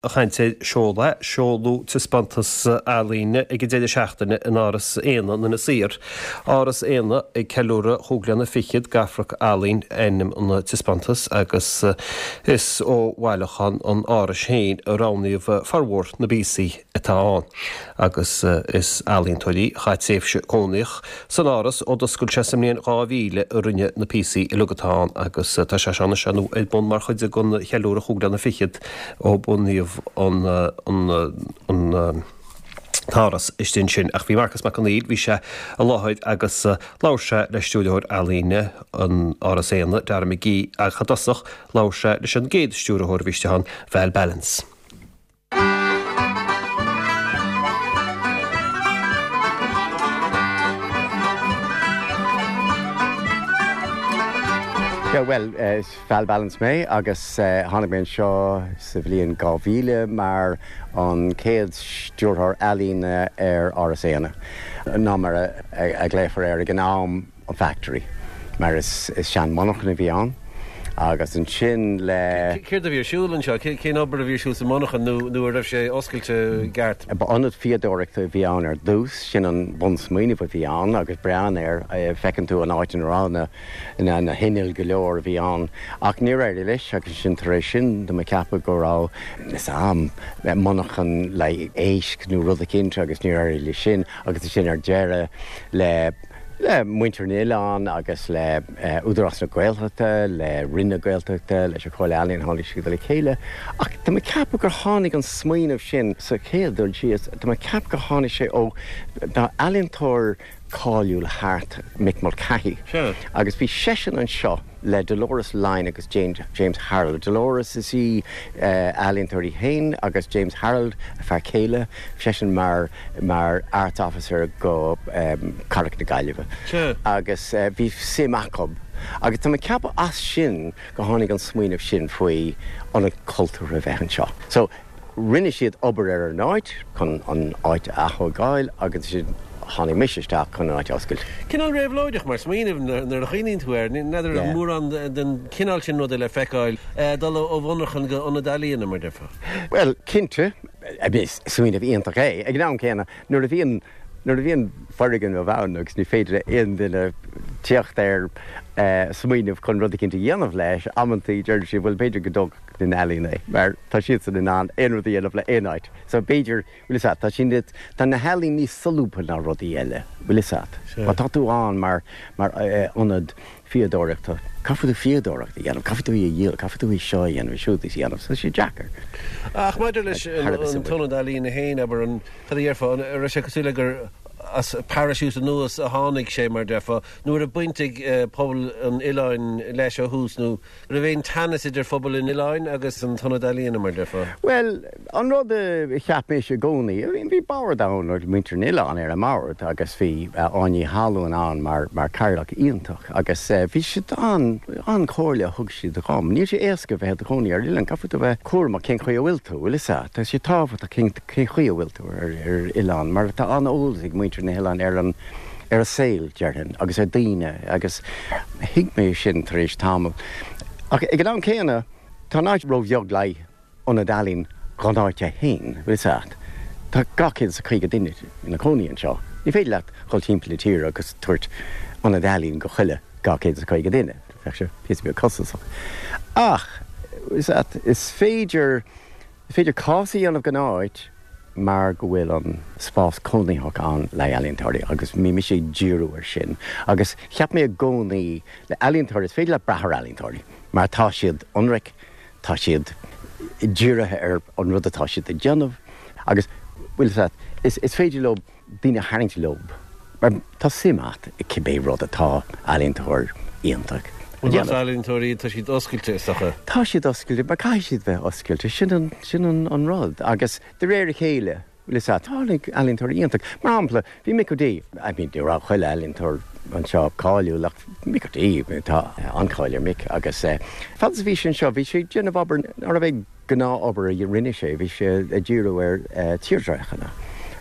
Ag caint ar seoladh, seoladh taispeántas ealaíne ag an deireadh seachtaine in Áras Éanna in Inis Oírr. Áras Éanna ag ceiliúradh chúig bliana fichead d'Amharc-Ealaín ainm an taispeántais agus is ó bhailiúchán an Árais féin a roghnaíodh formhór na bpíosaí atá ann agus is ealaíontóirí a chaith tréimhse cónaitheach san Áras ó d'oscail sé sa mbliain 2000 a rinne na píosaí uilig atá ann agus tá sé seo anois ar bun mar chuid den cheiliúradh chúig bliana fichead ó bunaíodh an tÁras istigh ansin. Ach bhí Marcas Mac Conghail, bhí sé i láthair agus labhair sé le Stiúrthóir Ealaíne an Áras Éanna, Dara McGee, ach i dtosach labhair sé leis an gcéad stiúrthóir a bhí istigh ann, Val Ballance. Yeah, bhuel, is Val Ballance mé agus tháinig mé anseo sa bhliain 2000 mar an chéad Stiúrthóir Ealaíne ar Áras Éanna, nó mar a ghlaofar air ag an am, an Factory, mar is sean-mhonarchan a bhí ann agus ansin le. Céard a bhí ar siúl anseo? Cén obair a bhí ar siúl sa mhonarchan nó an raibh sé oscailte i gceart? Ba ionad fíodóireachta a bhí ann ar dtús, sin an bunsmaoineamh a bhí ann agus breathnaigh air, feiceann tú an áit ina raibh na. na hinnill go leor a bhí ann ach níor éirigh leis agus ansin tar éis sin tá mé ag ceapadh go raibh fhios a'm monarchan le éisc nó rud eicínt agus níor éirigh leis sin agus ansin ar deireadh le le muintir an oileáin agus le Údarás na Gaeltachta, le Roinn na Gaeltachta, leis an Chomhairle Ealaíon tháinig siad le chéile ach tá mé ag ceapadh gur tháinig an smaoineamh sin sa chéad dul síos, tá mé ag ceapadh gur tháinig sé ó tá ealaíontóir cáiliúil thart, Mick Mulcahy, agus bhí seisean anseo le Dolores Lyne agus James Harold. Dolores, is í ealaíontóir í féin agus James Harold, a fear céile, seisean mar mar Arts Officer go Cathrach na Gaillimhe agus bhí suim acu agus tá mé ag ceapadh as sin go tháinig an smaoineamh sin faoi ionad cultúrtha a bheith anseo. So. Rinne siad obair ar an áit chun an áit a ath-thógáil agus ansin tháinig mise isteach chun an áit a oscailt. Cineál réabhlóideach mar smaoineamh nuair a chuimhníonn tú air. N'fheadar an raibh mórán den chineál sin ruda le feiceáil, dul ó mhonarchan go ionad ealaíona, mar déarfá. Bhuel, cinnte, is smaoineamh iontach é. Ag an am céanna, nuair a bhíonn nuair a bhíonn foirgneamh ann agus ní féidir le aon duine tíocht ar smaoineamh chun rud eicínt a dhéanamh leis, amantaí deireann siad, bhuel, b'fhéidir go dtógfadh na healaíona é, mar tá siadsan in ann aon rud a dhéanamh le aon áit. So b'fhéidir, bhfuil fhios a't, tá siad, tá na healaíona níos solúbtha ná rudaí eile, bhfuil fhios a't. Má tá tú ann mar, mar ionad fíodóireachta, caithfidh tú fíodóireacht a dhéanamh, caithfidh tú í a dhíol, caithfidh tú í seo a dhéanamh, siúd a dhéanamh, so tá sé deacair. Ach maidir leis an t-ionad ealaíona féin, abair, an, cad a dhéarfá, an raibh sé cosúil le gur as parachute anuas a tháinig sé, mar déarfá, nó an raibh baint ag pobal an oileáin leis ó thús, nó an raibh aon teannas idir phobal an oileáin agus an t-ionad ealaíona, mar déarfá? Bhuel, an rud a cheap mise i gcónaí, I mean, bhí bord ann, muintir an oileáin ar an mbord agus bhí Áine Ní Thalún ann mar, mar cathaoirleach iontach agus bhí siad an, an-chomhairle a thug siad dhom. Níl sé éasca bheith i do chónaí ar oileán, caithfidh tú bheith cúramach cén chaoi a bhfuil tú, bhfuil fhios a't, tá sé tábhachtach cén, cén chaoi a bhfuil tú ar, ar oileán mar tá an-eolas ag muintir na hoileáin ar an, ar an saol, déarfainn, agus ar daoine agus thuig mé sin tar éis tamaill. Ach ag an am céanna, tá an áit ró-bheag le ionad ealaíon dhon áit é féin, bhfuil fhios a't. Tá 250 duine ina cónaí anseo. Ní féidir leat dhul timpeall na tíre agus tabhairt ionad ealaíon go chuile 250 duine. Bheadh sé píosa beag costasach. Ach, bhfuil fhios a't, is féidir, is féidir cás a dhéanamh den áit mar go bhfuil an spás cónaitheach ann le ealaíontóirí agus bhí mise ag díriú ar sin. Agus cheap mé i gcónaí le ealaíontóirí, is féidir leat brath ar ealaíontóirí mar tá siad ionraic, Tá siad dírithe ar an rud atá siad ag déanamh agus, bhfuil fhios a't, is féidir leo daoine a tharraingt leo mar tá suim a't i cibé rud atá ealaíontóir iontach a déanamh. Más ealaíontóirí iad, tá siad oscailte, is dócha. Tá siad oscailte, mar caithfidh siad bheith oscailte, sin an, sin an rud agus de réir a chéile, Bhfuil fhios a't, tháinig ealaíontóirí iontach. Mar shampla, bhí Mick O'Dea, I mean, ní raibh chuile ealaíontóir anseo cáiliúil ach Mick O'Dea, tá an-cháil ar Mick agus fad is a bhí sé anseo bhí sé ag déanamh obair nárbh é gnáthobair a rinne sé, bhí sé ag díriú ar tírdhreachanna.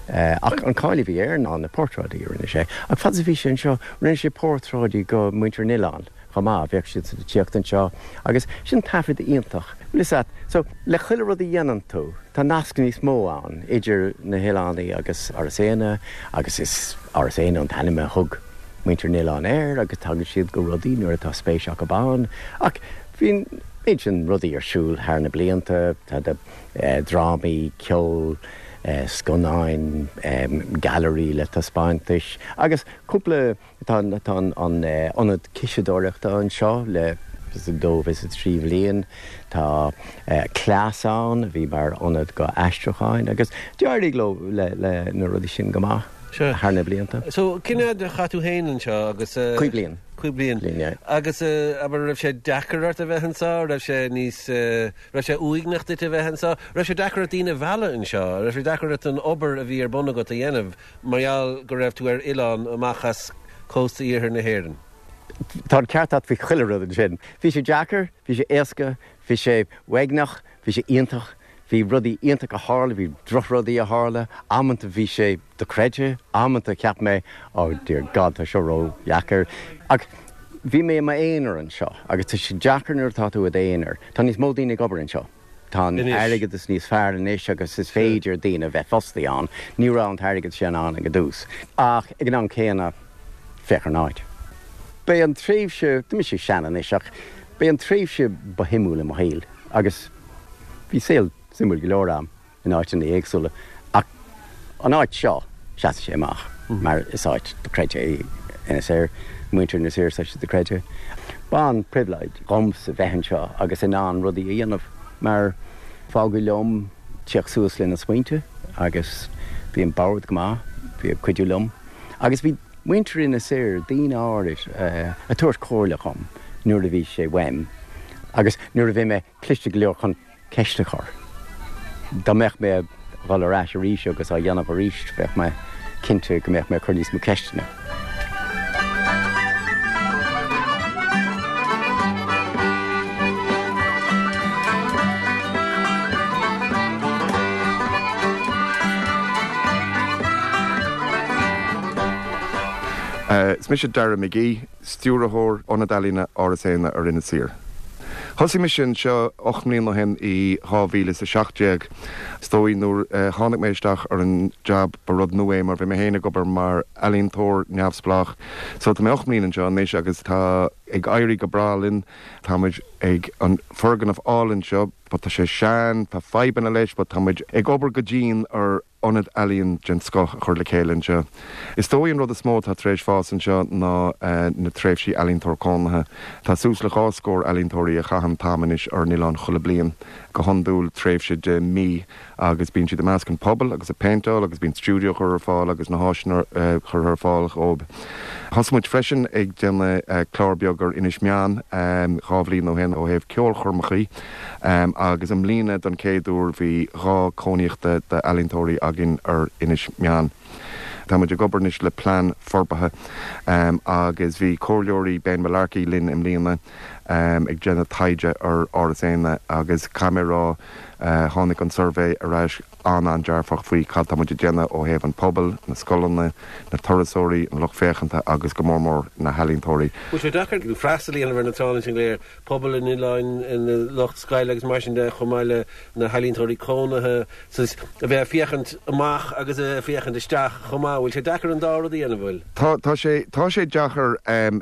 Ach an cáil a bhí air ná na portráidí a rinne sé. Ach fad is a bhí sé anseo, rinne sé portráidí go muintir an oileáin chomh maith, bheadh siad ag tíocht anseo agus sin taifead iontach. Bhfuil fhios a't, so le chuile rud a dhéanann tú, tá nasc níos mó ann idir na hoileánaigh agus Áras Éanna agus is Áras Éanna an t-ainm a thug muintir an oileáin air agus tagann siad go rudaí nuair atá spéis acu ann. Ach bhí an méid sin rudaí ar siúl thar na blianta, tá drámaí, ceol, scannáin, gailearaí le taispeántais agus cúpla, tá an ionad ciseadóireachta anseo le dó is a thrí bhliain, tá cleas ann a bhí mar ionad go aistriúcháin agus d'éirigh leo le na rudaí sin go maith thar na blianta. So, cén fhad a chaith tú féin anseo agus. Cúig bliain. Cúig bliain. Bliain, yeah. Agus abair, raibh sé deacair ort a bheith anseo? Raibh sé níos. Raibh sé uaigneach duit a bheith anseo? Raibh sé deacair ort daoine a mhealladh anseo? Raibh sé deacair ort an obair a bhí ar bun agat a dhéanamh mar gheall go raibh tú ar oileán amach as cósta iarthar na hÉireann? Tá an ceart a't faoi chuile rud ansin. Bhí sé deacair, bhí sé éasca, bhí sé uaigneach, bhí sé iontach, bhí rudaí iontacha a tharla, bhí drochrudaí a tharla, amanta bhí sé dochreidte, amanta cheap mé oh dear God tá seo ró-dheacair. Ach bhí mé i m'aonar anseo agus tá sé deacair nuair atá tú i d'aonar. Tá níos mó daoine ag obair anseo. Tá an airgeadas níos fearr anois agus is féidir daoine a bheith fostaí ann. Ní raibh an t-airgead sin ann ag an dtús. Ach ag an am céanna, féach ar an áit. B'é an tréimhse, tá mise sean anois ach b'é an tréimhse ba shuimiúil i mo shaol agus bhí saol suimiúil go leor a'm. in áiteanna éagsúla ach an áit seo, seasann sé amach mar is áit dochreidte é Inis Oírr, muintir Inis Oírr, tá sé dochreidte. B'an-phribhléid dhomsa bheith anseo agus in ann rudaí a dhéanamh mar fágadh liom tíocht suas le na smaointe agus bhí an bord go maith, bhí ag cuidiú liom agus bhí muintir Inis Oírr, daoine áirid, ag tabhairt comhairle dhom nuair a bhí sé uaim agus nuair a bhí mé cliste go leor chun ceist a chur. Dá mbeadh mé ag dhul ar ais arís agus á dhéanamh arís, bheadh mé cinnte go mbeadh mé ag cur níos mó ceisteanna. Is mise Dara McGee. Stiúrthóir Ionad Ealaíne Áras Éanna ar Inis Oírr. Thosaigh mise anseo 8 mbliana ó shin i 2017. Is dóigh nuair a tháinig mé isteach ar an jab ba rud nua é mar bhí mé féin ag obair mar ealaíontóir neamhspleách. So tá mé 8 mbliana anseo anois agus tá ag éirí go breá linn. Tá muid ag an foirgneamh álainn seo but tá sé sean, tá fadhbanna leis but tá muid ag obair go dian ar ionad ealaíon den scoth a chur le chéile anseo. Is dóigh an rud is mó atá tar éis fás anseo ná na tréimhsí ealaíontóir cónaithe. Tá suas le dhá scór ealaíontóirí a chaitheann t-am anois ar an oileán chuile bliain, go hiondúil tréimhse de mí, agus bíonn siad i measc an pobail agus ag péinteáil agus bíonn stiúideo curtha ar fáil agus na háiseanna curtha ar fáil dhóibh. Thosaigh muid freisin ag déanamh clár beag ar Inis Meáin dhá bhliain ó shin ó thaobh ceolchoirmeachaí. Agus i mbliana don chéad uair bhí dhá cónaíochta d'ealaíontóirí againn ar Inis Meáin. Tá muid ag obair anois le plean forbartha agus bhí comhairleoirí Ben Mullarkey linn i mbliana ag déanamh taighde ar Áras Éanna agus caithfidh mé a rá tháinig an suirbhé ar ais an-an-dearfach faoi cad tá muid ag déanamh ó thaobh an pobail, na scoileanna, na turasóirí, an lucht féachanta agus go mór mór na healaíontóirí. Bhfuil sé deacair freastal a dhéanamh ar na tránna sin go léir? pobal an oileáin, an lucht scoile agus mar sin de, chomh maith le na healaíontóirí cónaithe, saghas, a bheith ag féachaint amach agus ag féachaint isteach chomh maith. Bhfuil sé deacair an dá rud a dhéanamh, bhfuil? Tá, tá sé, tá sé deacair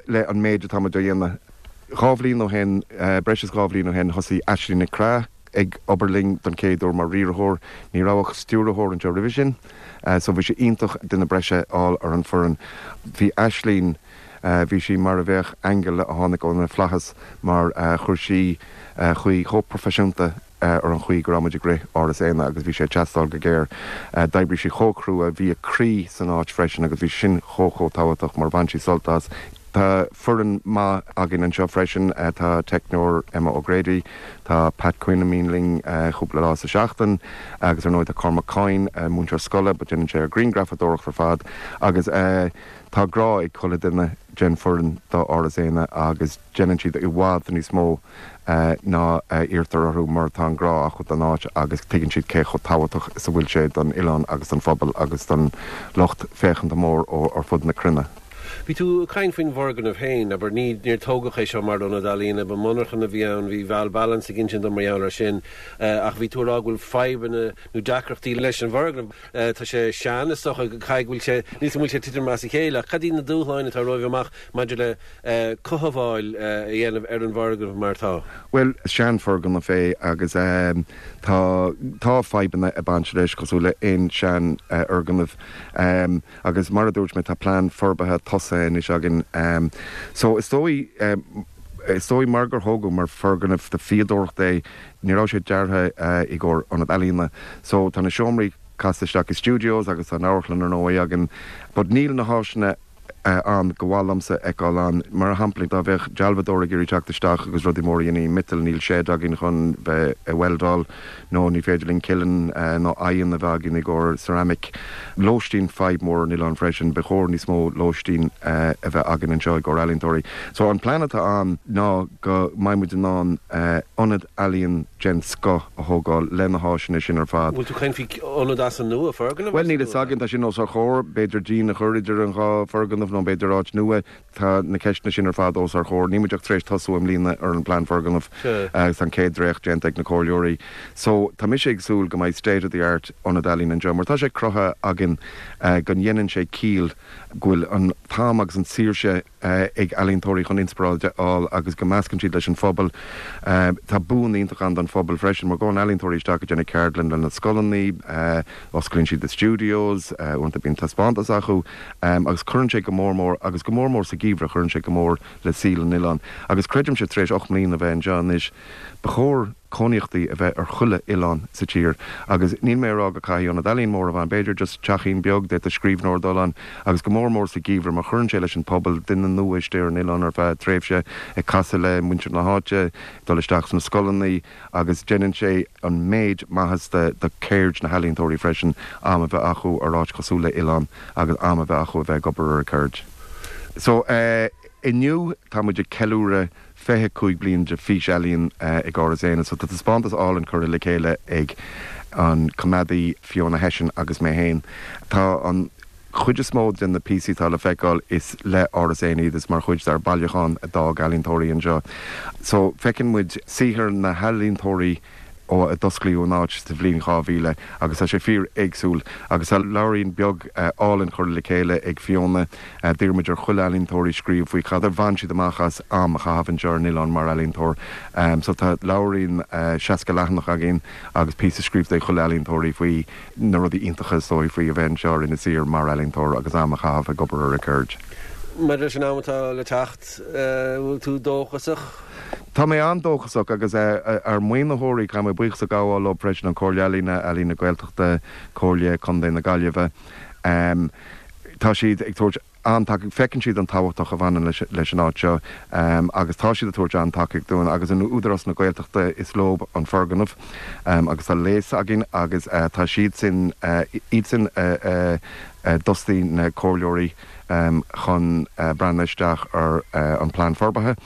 le an méid atá muid a dhéanamh. Dhá bhliain ó shin, breis is dhá bhliain ó shin, thosaigh Aisling Nic Craith ag obair linn don chéad uair mar riarthóir. Ní raibh ach stiúrthóir anseo roimhe sin, so bhí sé iontach duine breise a fháil ar an foireann. Bhí Aisling. Bhí sí mar a bheadh aingeal a tháinig ó na flaithis mar chuir sí chaoi chomh proifisiúnta ar an chaoi go raibh muid ag rith Áras Éanna agus bhí sé ag teastáil go géar. D'oibrigh sí chomh crua, bhí a croí san áit freisin agus bhí sin chomh chomh tábhachtach mar bhain sí sult as. Tá foireann maith againn anseo freisin, tá teicneoir Emma O'Grady, tá Pat Quinn a mbíonn linn cúpla lá sa seachtain agus ar ndóigh tá Cormac Coyne, múinteoir scoile but déanann sé ar grianghrafadóireacht ar fad agus. Tá grá ag chuile duine den foireann do Áras Éanna agus déanann siad i bhfad níos mó ná a iarrtar orthu mar tá an grá acu don áit agus tuigeann siad cé chomh tábhachtach is a bhfuil sé don oileán agus don phobal agus don lucht féachanta mór ó ar fud na cruinne. Bhí tú ag caint faoin bhfoirgneamh féin, abair, ní, níor tógadh é seo mar ionad ealaíne, ba monarchan a bhí ann, bhí Val Ballance ag insint dom mar gheall air sin, ach bhí tú ag rá go bhfuil fadhbanna nó deacrachtaí leis an bhfoirgneamh. Tá sé sean, is dócha, caithfidh go bhfuil sé, níl 's agam an bhfuil sé ag titim as a chéile, ach cad iad na dúshláin atá romhaibh amach maidir le cothabháil a dhéanamh ar an bhfoirgneamh mar atá? Bhuel, is seanfhoirgneamh é agus tá, tá fadhbanna ag baint leis, cosúil le aon seanfhoirgneamh. Agus mar a dúirt mé, tá plean forbartha tosaithe anois againn. So is dóigh, is dóigh mar gur thógadh mar foirgneamh do fíodóireacht é, ní raibh sé deartha i gcomhair ionad ealaíona. So tá na seomraí casta isteach i studios agus tá an amharclann ar ndóigh againn. But níl na háiseanna ann go mhaith liomsa a fheiceáil ann. Mar shampla, dá bheadh dealbhadóir ag iarraidh teacht isteach agus rudaí móra a dhéanamh i miotal, níl shed againn chun bheith ag weldáil. nó ní féidir linn kiln nó oigheann a bheith againn i gcomhair ceramic. Lóistín, fadhb mór ar an oileán freisin, ba chóir níos mó lóistín a bheith againn anseo i gcomhair ealaíontóirí. So an plean atá ann ná go mbeidh muid in ann ionad ealaíon den scoth a thógáil le na háiseanna sin ar fad. Bhfuil tú ag caint faoi ionad as an nua, foirgneamh as an nua? Bhuel níl a fhios againn, tá sin os ár chomhair, b'fhéidir díon a chur idir an dhá foirgneamh nó b'fhéidir áit nua. Tá na ceisteanna sin ar fad os ár chomhair. Níl muid ach tar éis tosú i mbliana ar an bplean foirgneamh agus tá an chéad dréacht déanta ag na comhairleoirí. So, tá mise ag súil go mbeidh state of the art ionad ealaíon anseo mar tá sé cruthaithe againn go ndéanann sé ciall go bhfuil an t-am agus an tsaoirse ag ealaíontóirí chun inspioráid a fháil agus go meascann siad leis an phobal. Tá boon iontach ann don phobal freisin mar gabhann ealaíontóirí isteach ag déanamh ceardlann le na scoileanna, osclaíonn siad na studios, uaireanta bíonn taispeántas acu. Agus cuireann sé go mór mór, agus go mór mór sa gheimhreadh, cuireann sé go mór le saol an oileáin. Agus creidimse, tar éis 8 mbliana a bheith anseo anois, ba chóir cónaíochtaí a bheith ar chuile oileán sa tír. Agus níl mé ag rá go caithfidh ionad ealaíon mór a bheith ann, b'fhéidir just teachín beag, d'fhéadfadh scríbhneoir dul ann, agus go mór mór sa gheimhreadh, mar cuireann sé leis an pobal, duine nua istigh ar an oileán ar feadh tréimhse, ag casadh le muintir na háite, dul isteach sna scoileanna. agus déanann sé an méid maitheas do cheird na healaíontóirí freisin am a bheith acu ar áit cosúil le oileán agus am a bheith acu a bheith ag obair ar a gceird. So, inniu tá muid ag ceiliúradh 25 bliain de Fís Ealaíon ag Áras Éanna so tá taispeántas álainn curtha le chéile ag an coimeádaí Fiona Hession agus mé féin. Tá an. chuid is mó de na píosaí atá le feiceáil, is le Áras Éanna iad, is mar chuid dár bailiúchán a d'fhág ealaíontóirí anseo. So, feiceann muid saothar na healaíontóirí ó a d'osclaíodh an áit sa bhliain 2000 agus tá sé fíor éagsúil agus tá leabhairín beag álainn curtha le chéile ag Fiona. D'iarr muid ar chuile ealaíontóirí scríobh faoi cad a bhain siad amach as am a chaitheamh anseo ar an oileán mar ealaíontóir. So tá leabhairín 60 leathanach againn agus píosa scríofa ag chuile ealaíontóirí faoi na rudaí iontacha is dóigh faoi a bheith anseo ar Inis Oírr mar ealaíontóir agus am a chaitheamh ag obair ar a gceird. Maidir leis an am atá le teacht, bhfuil tú dóchasach? Tá mé an-dóchasach agus ár maoinitheoirí, caithfidh mé buíochas a ghabháil leo freisin, an Chomhairle Ealaíne, Ealaín na Gaeltachta, Comhairle Contae na Gaillimhe. Tá siad ag tabhairt. an-tacaíocht, feiceann siad an tábhachtach a bhaineann leis an áit seo agus tá siad ag tabhairt an-tacaíocht dúinn agus an Údarás na Gaeltachta is leo an foirgneamh agus tá léas againn agus tá siad sin, iad sin a d'fhostaigh na comhairleoirí chun breathnú isteach ar an plean forbartha.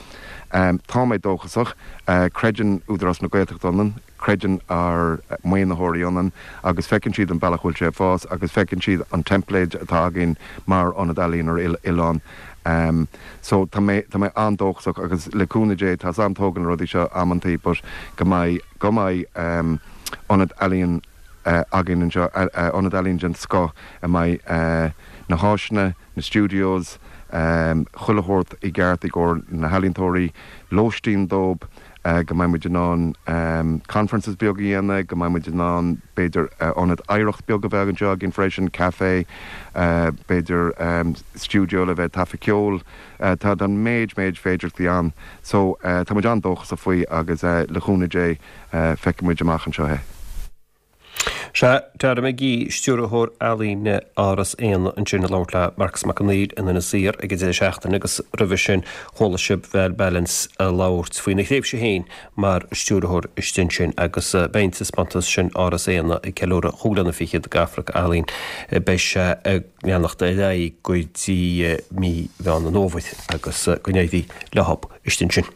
Tá mé dóchasach, creideann Údarás na Gaeltachta ionainn. Creideann ár maoinitheoirí ionainn agus feiceann siad an bealach a bhfuil sé ag fás agus feiceann siad an teimpléid atá againn mar ionad ealaíon ar oileán. So tá mé, tá mé an-dóchasach agus le cúnamh Dé, tá 's a'm tógann na rudaí seo amantaí but go mbeidh, go mbeidh ionad ealaíon againn anseo, ionad ealaíon den scoth a mbeidh na háiseanna, na studios, chuile shórt i gceart i gcomhair na healaíontóirí, lóistín dóibh. go mbeidh muid in ann conferences beag a dhéanamh, go mbeidh muid in ann b'fhéidir ionad oidhreacht beag a bheith anseo againn freisin, café, b'fhéidir stiúideo le bheith ag taifeadh ceoil. Tá an méid, méid féidearthachtaí ann. So tá muid an-dóchasach faoi agus le chúnamh Dé feicfidh muid amach anseo é. Sea, Dara McGee, Stiúrthóir Ealaíne Áras Éanna ansin ag labhairt le Marcus Mac Conghail in Inis Oírr ag an deireadh seachtaine agus roimhe sin chuala sibh Val Ballance ag labhairt faoina thréimhse féin mar stiúrthóir istigh ansin agus beidh an taispeántas sin Áras Éanna ag ceiliúradh chúig bliana fichead d'Afraic-Ealaín beidh sé ag leanacht ar aghaidh go dtí mí Mheán an Fhómhair agus go n-éirí leo istigh ansin.